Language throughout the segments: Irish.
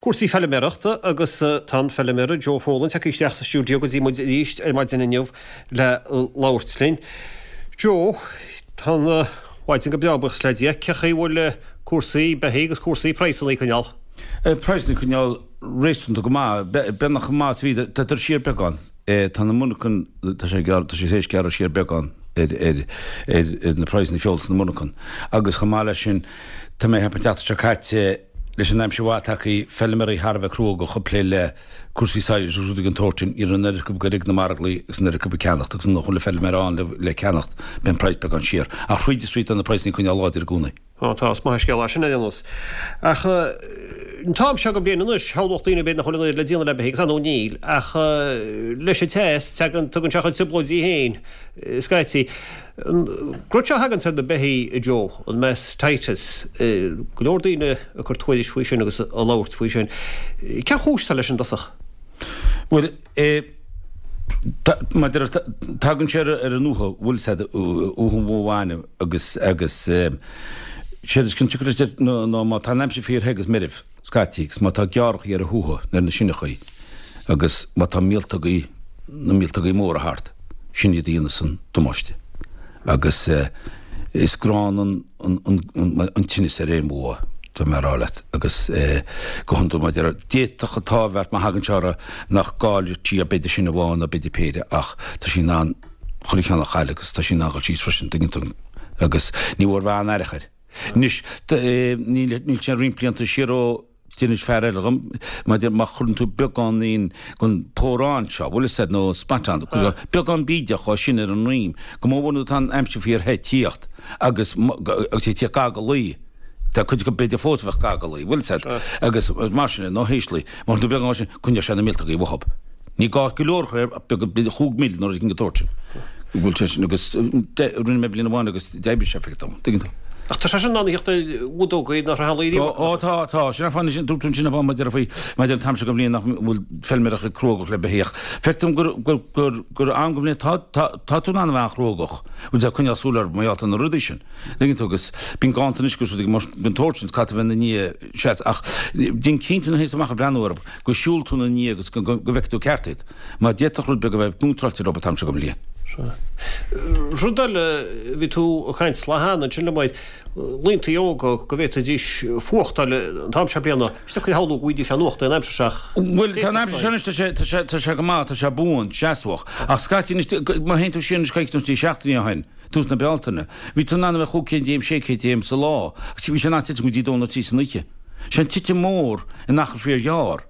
Cúrsaí feilméarachta agus tá an feilméara Joe Folan tagtha isteach sa stiúideo go dtí muid arís ar maidin inniu le labhairt linn. Joe, tá an mhaidin go breá buíochas le Dia. Cén chaoi a bhfuil cúrsaí beithígh agus cúrsaí praghsanna ag coinneáil? Praghsanna ag coinneáil réasúnta go maith, beagnach chomh maith is a bhí, tá siar beagán. Tá na monarchan, tá sé gearr, tá sé tar éis gearradh siar beagán ar ar ar na praghsanna feola sna monarchan agus chomh maith leis sin tá mé ag ceapadh an tseachtain seo caite leis an aimsir mhaith tagtha feilméaraí thar a bheith cruógach ag plé le cúrsaí silage agus rudaí den tsórt sin, ní raibh an oiread acu ag goil ag na marglaí agus an oiread acu ag ceannacht agus nuair nach bhfuil an feilméara ann le le ceannacht bíonn praghas beagán siar. Ach thríd is thríd tá na praghsanna ag coinneáil láidir i gcónaí. Á tá, is maith an scéal é sin ar aon nós. Ach an t-am seo den bhliain anois, shamhlódh daoine b'fhéidir nach bhfuil an oiread le déanamh le beithígh, agus ar ndóigh níl, ach leis an teas, tagann, tugann sé a chuid trioblóidí féin scaití. An rud seo a thaganns ar na beithígh, a Joe, an mastitis, go leor daoine ag cur tuairisc faoi sin agus ag labhairt faoi sin. Cén chúis atá leis i dtosach? Bhuel, Mar a déarfá, tagann sé ar an útha, bhfuil 's a'd, útha an bhó bhainne agus, agus séard is cionsiocair leis ná má tá an aimsir fíor the agus meirbh scaití agus má tá gearrthacha ar an hútha nó ar na sineachaí agus má tá míoltógaí, na míoltógaí móra thart, sin iad a dhéanas an damáiste. Agus is gránna an. an tinneas ar aon bhó, tá mé a rá leat, agus go hiondúil mar a déarfá, d'fhéadfadh an t-ádh a bheith ort má thagann sé orthu nach gcaillfidh sí ach b'fhéidir sin amháin nó b'fhéidir péire ach tá sí in ann chuile cheann a chailleadh agus tá sí in ann dhul síos freisin, tuigeann tú, agus ní mór bheith an-aireach air. Anois, níl sé roinnt blianta siar ó. D'inis fear eile dhom, maidir má chuireann tú beagáinín den pórán seo, bhfuil fhios a'd, nó spot-on, beagán bídeach dhó sin ar an ndroim, go mór mhór nuair atá an aimsir fíor the ag tíocht agus agus é ag tíocht gar go luí, tá cuid acu b'fhéidir fós a bheadh gar go luí, bhfuil fhios a'd, agus mar sin é, nó théis luí, má chuireann tú beagán dhó sin, coinneoidh sé na míoltógaí uathub. Ní gá go leor a chur air, ach beag, b'fhéidir chúig mil nó rud éigin den tsórt sin. Bhfuil sé sin, agus rinne mé bliain amháin agus d'oibrigh sé, feictear dom, tuigeann tú. Ach tá sé sin in ann a theacht ar bhudógaí nach raibh riamh acu. Ó, tá, tá. Sin an fáth, dúirt tú ansin ab mar a déarfá faoi, maidir an t-am seo den bhliain nach bhfuil feilméaraí cruógach le beithíoch. Feictear dom gur, gur, gur, gur am den bhliain, tá, tá, tá tú in ann a bheith an-chruógach. Bhfuil sé ag coinneáil súil orthu mar gheall ar na rudaí sin. Tuigeann tú, agus bíonn ganntanais agus rudaí mar den tsórt sin, caithfidh tú a bheith ina ndiaidh, sea, ach déan cinnte nuair a théanns tú amach ag breathnú orthu, go siúlann tú ina ndiaidh agus go bhfeicfidh tú ceart iad, mar d'fhéadfadh rud beag a bheith contráilte leo an t-am seo den bhliain. Sea. Rud eile, bhí tú ag caint lá cheana ansin liom ar laontaí óga go bhféadfaidís fuacht a fháil an t-am seo bliana. Is deacair a shamhlú go bhfaighidís aon fhuacht an aimsir seo ach Bhuel, tá an aimsir seo anois, tá sé, tá sé, tá sé go maith, tá sé buan, seasmhach. Ach scaití anois, má théann tú siar anois coicís nó trí seachtainí ó shin, tús na Bealtaine, bhí tú in ann a bheith chúig chéim déag, sé chéim déag sa lá, agus bhí sé in ann titim go dtí dó nó trí san oíche. Sin titim mór in achar fíor ghearr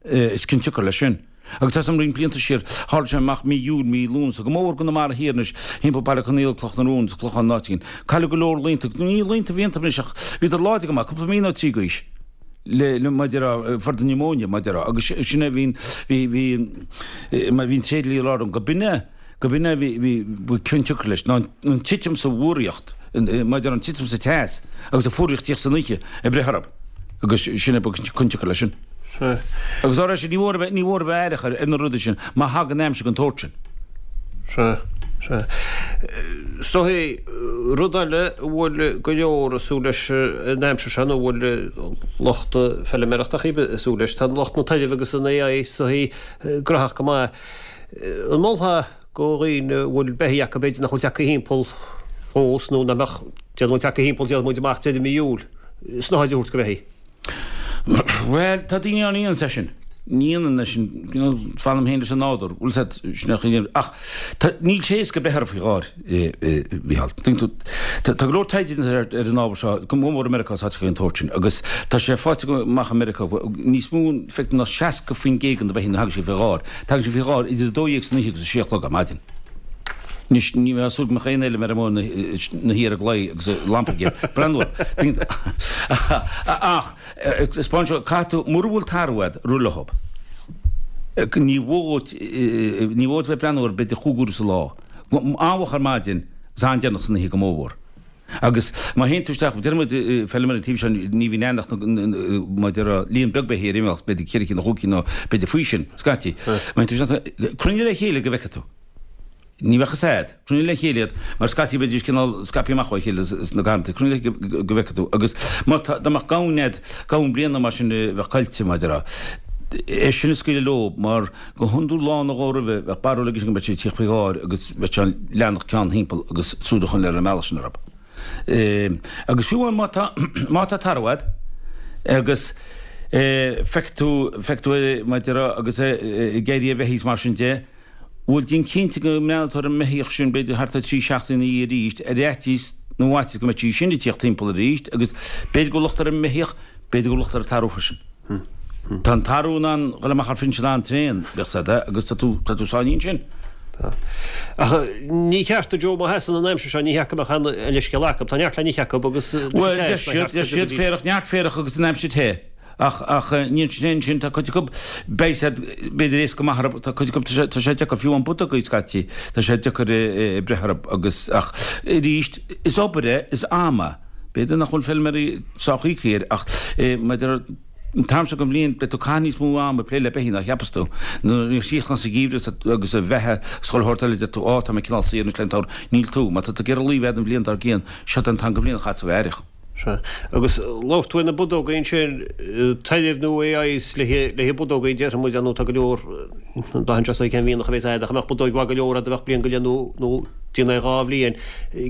is cionsiocair leis sin. Agus tá 'fhios a'm roinnt blianta siar, tharla sé amach mí Iúil, mí Lúnasa, go mór mhór i gConamara Thiar anois, thimpeall Baile Conaola, Cloch na Rún, is Clochán an áit éigin. Cailleadh go leor laonta, ní laonta a bhí iontu anois ach bhíodar láidir go maith, cúpla mí nó trí d'aois, le, le, mar a déarfá, for the pneumonia, mar a déarfá, agus sin é bhí, bhí, bhí, bhí an tréidlia ag rá liom go b'in é, go b'in é a bhí, bhí, ba cionsiocair leis, ná an titim sa bhfuaraíocht, mar a déarfá an titim sa teas agus an fuaraíocht ag tíocht san oíche ag breith orthu agus sin é ba cionsiocair leis sin. Sea. Agus dá réir sin, ní mhór a bheith, ní mhór a bheith aireach ar, ar na rudaí sin má thagann aimsir den tsórt sin. Sea, sea. Is dóigh, rud eile a bhfuil go leor ag súil leis an aimsir seo, nó a bhfuil lucht feilméarachta ag súil leis, tá lucht na tairbhe agus an AI is dóigh graitheach go maith. An molfá go dhaoine a bhfuil beithígh acu b'fhéidir nach bhfuil tagtha thimpeall fós nó nach mbeadh, déarfaidh muid tagtha thimpeall déarfaidh muid amach deireadh mí Iúil, snáthaid a thabhairt go bheithígh? Bhuel, tá daoine ann a dhéananns é sin. Ní dhéanaim é sin, you know, fanaim féin leis an nádúr, bhfuil 's a'd, sin é an chaoi a Ach tá, níl sé éasca breith orthu faoi gháir, a Mhícheáil. Tuigeann tú, tá, tá go leor taighde déanta ar, ar an ábhar seo, go mór mór i Meiriceá is áiteacha den tsórt sin, agus tá sé faighte amach i Meiriceá níos mó, feictear ná 60% de na beithígh nuair a thagann siad faoi gháir, tagann siad faoi gháir idir 12 san oíche agus 6 a chlog ar maidin. Anois, ní bheifeá ag súil go mbeadh aon fheilméara ina shuí ar an gclaí agus a lampa aige, breathnú air. Ach, 'spáin seo, caithfidh tú, mura bhfuil tarbh a'd, rith leothab. Ní mhór dhuit, ní mhór dhuit bheith ag breathnú air b'fhéidir chúig uaire sa lá. An-mhoch ar maidin is an-deireanach san oíche go mórmhór. Agus má théann tú isteach, deir muid, feilméara an taobh seo, ní bhíonn aon ach mar a déarfá líon beag beithígh ar imeacht, b'fhéidir ceithre cinn nó chúig cinn nó b'fhéidir faoi sin, scaití. Má théann tú isteach, cruinnigh le chéile go bhfeicfidh tú. Ní bheadh fhios a'd. Cruinnigh le chéile iad, mar scaití bheidís cineál scaipthe amach ó chéile sna garrantaí. Cruinnigh le chéile go bhfeicfidh tú. Agus má tá, dá mbeadh gamhain a'd, gamhain bliana mar sin a bheadh caillte, mar a déarfá, é sin a scaoileadh leo, mar go hiondúil lá nó dhó roimhe, bheadh barúil aige sin go mbeadh sé ag tíocht faoi dháir agus bheadh sé in ann leanacht ceann thimpeall agus súil a choinneáil ar an mbealach sin orthu. Agus fiú amháin má tá, má tá tarbh a'd agus feicfidh tú, feicfidh tú é, mar a déarfá, agus é ag éirí a bheithígh is mar sin de, Bhuel, déan cinnte go mbreathnóidh tú ar an mbeithíoch sin b'fhéidir thart ar thrí seachtaine ina dhiaidh arís, ar fhaitíos nó fhaitíos go mbeadh sí sin ag tíocht timpeall arís agus b'fhéidir go bhfuil locht ar an mbeithíoch, b'fhéidir go bhfuil locht ar an tarbh freisin. Tá an tarbh in ann dhul amach thar phinsean an-tréan, bíodh 's a'd, agus tá tú, tá tú sáinnithe ansin. Tá. Ach ní cheart do Joe má sheasann an aimsir seo, ní cheart go mbeadh aon leithscéal acu. Tá neart le n-ithe acu agus Bhuel, deir siad, deir siad féarach, neart féarach agus an aimsir the. Ach, ach, ní an sin, tá cuid acu, beidh siad, b'fhéidir éasca maith orthu, tá cuid acu, tá sé, tá sé deacair, fiú amháin buddógaí scaití, tá sé deacair breith orthu agus, ach, arís, is obair é, is am é. B'fhéidir nach bhfuil feilméaraí sách íoctha air, ach, maidir, an t-am seo den bhliain, beidh tú ag caitheamh níos mó ama ag plé le beithígh ná a cheapas tú. Nuair a chríochnaíonn an geimhreadh agus an bheatha is chuile shórt eile, deir tú, á, tá mé cineál saor anois le an t-samhradh. Níl tú. Má tá tú ag iarraidh lao a bheith a'd an bhliain dár gcionn, seo é an t-am den bhliain a chaithfidh tú a bheith aireach. Sea. Agus labhair tú ar na budógaí ansin, tairbh nó leigheas le budógaí déarfaidh muid, nó tá go leor, braitheann sé cén mhianach a bhéas a'd, ach a mbeadh budóig mhaith go leor a'd a bheadh bliain go leith nó nó déan é dhá bhliain.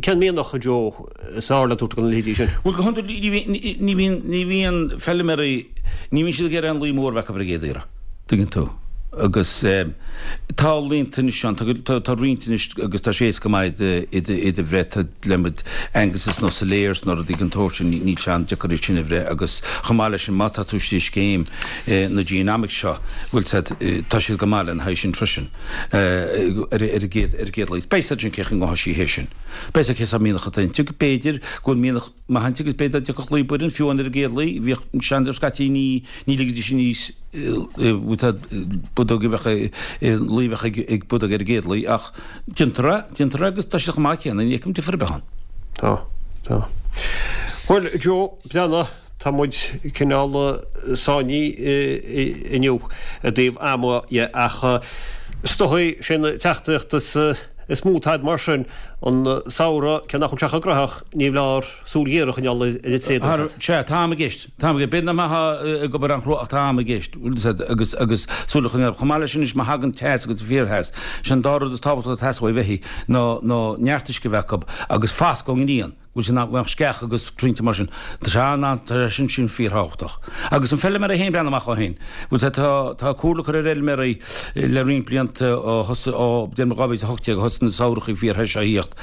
Cén mianach, a Joe, is fearr le tabhairt do na leithéidí sin? Bhuel, go hiondúil ní bhíonn, ní bhíonn, ní bhíonn feilméaraí, ní bhíonn siad ag iarraidh aon lao mór a bheith acu ar an gcéad iarraidh. Tuigeann tú. Agus tá laonta anois ann, tá roinnt anois agus tá sé éasca maith iad a bhreith, tá le Angus is nó Salers nó rudaí den tsórt sin, níl sé an-deacair iad sin a bhreith agus chomh maith leis sin má tá tú istigh i scéim na Genomics seo, bhfuil 's a'd, tá siad go maith lena haghaidh sin freisin ar an gcéad, ar an gcéad lao. Beidh 's a'd sin cén chaoi a ngabhfaidh sí thé sin. Beidh 's a'd cén sórt mianach atá inti, b'fhéidir go bhfuil mianach maith inti agus b'fhéidir dá dtiocfadh lao baireann fiú amháin ar an gcéad lao, bhíodh seandream scaití ní Ní ligidís aníos budóg a bheadh lao a bheadh ag budóg ar an gcéad lao ach déantar é, déantar é agus tá sé chomh maith céanna, ní fheicim difear ar bith ann. Tá, tá. Bhuel, Joe, breathnaigh, tá muid cineál sáinnithe inniu i dtaobh ama dhe ach is dóigh sé an teachtaireacht is mó atá a'd mar sin, an samhradh, cé nach bhfuil sé chomh graitheach, ní foláir súil ghéar a choinneáil ar an tréad. Sea, tá am i gceist. Tá am i gceist. B'fhéidir nach mbeifeá ag obair an-chrua ach tá am i gceist. Bhfuil fhios a'd, agus, agus súil a choinneáil. Chomh maith leis sin anois, má thagann teas agus fíortheas, sé an dá rud is tábhachtaí atá ag teastáil ó bheithígh ná, ná neart uisce a bheith acu agus fascadh ón ngrian. Bhfuil sé nach mbeadh sceach agus crainnte mar sin. Tá sé an, an, tá sé sin, sin fíorthábhachtach. Agus an feilméara é féin breathnú amach dhó féin. Bhfuil fhios a'd, tá, tá comhairle curtha ar fheilméaraí le roinnt blianta ó thosaigh, ó, déarfaidh mé 2018 a thosaigh na samhrachaí fíorthe seo a thíocht.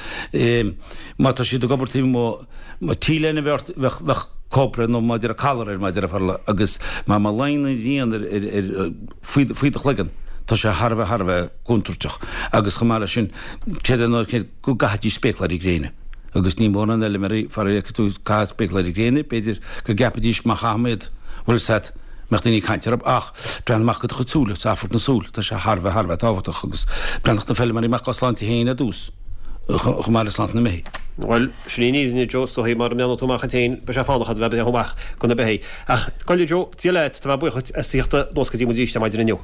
Má tá siad ag obair taobh amuigh, má T-léine a bheith ort, bheadh, bheadh cóipre nó mar a déarfá calar air mar a déarfá agus má, má luíonn an ghrian ar, ar, ar, faoi, faoi do chloigeann, tá sé thar a bheith, thar a bheith contúirteach. Agus chomh maith leis sin, creidim nó go gcaithfidís spéacláirí gréine. Agus ní mórán feilméaraí, faraor, a fheicfidh tú ag caitheamh spéacláirí gréine, b'fhéidir go gceapfaidís má chaithim iad, bhfuil 'fhios a'd, mbeadh daoine ag caint orthu, ach breathnú amach do do chuid súile, is amharc na súl, tá sé thar a bheith, thar a bheith tábhachtach agus breathnódh na feilméaraí amach dá sláinte féin ar dtús, chomh maith le sláinte na mbeithígh. Bhuel, sin í an fhírinne, Joe, is dóigh, mara mbreathnóidh tú amach duit féin, beidh sé fánach a'd a bheith ag breathnú amach do na beithígh. Ach, gabh i leith, Joe, Dia leat, tá mé buíoch dhuit as tíocht anuas go dtí muid arís ar maidin inniu.